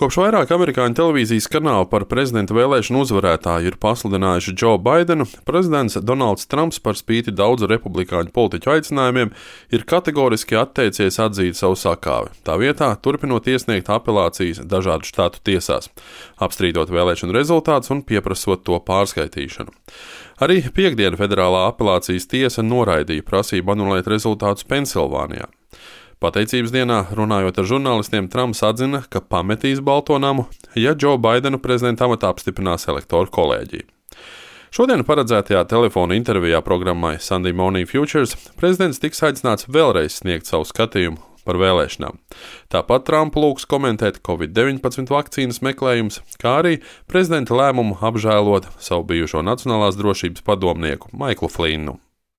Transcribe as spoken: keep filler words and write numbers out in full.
Kopš vairāk amerikāņu televīzijas kanāli par prezidenta vēlēšanu uzvarētāju ir pasludinājuši Džo Baidenu, prezidents Donalds Trumps par spīti daudzu republikāņu politiķu aicinājumiem ir kategoriski atteicies atzīt savu sakāvi, tā vietā turpinot iesniegt apelācijas dažādu štātu tiesās, apstrīdot vēlēšanu rezultātus un pieprasot to pārskaitīšanu. Arī piektdien federālā apelācijas tiesa noraidīja prasību anulēt rezultātus Pensilvānijā. Pateicības dienā, runājot ar žurnālistiem, Trumps atzina, ka pametīs Balto namu, ja Džo Baidenu prezidenta amatā apstiprinās elektoru kolēģija. Šodien paredzētajā telefona intervijā programmai Sunday Morning Futures prezidents tiks aicināts vēlreiz sniegt savu skatījumu par vēlēšanām. Tāpat Trumpu lūgs komentēt covid deviņpadsmit vakcīnas meklējumus, kā arī prezidenta lēmumu apžēlot savu bijušo nacionālās drošības padomnieku Maiklu Flinnu.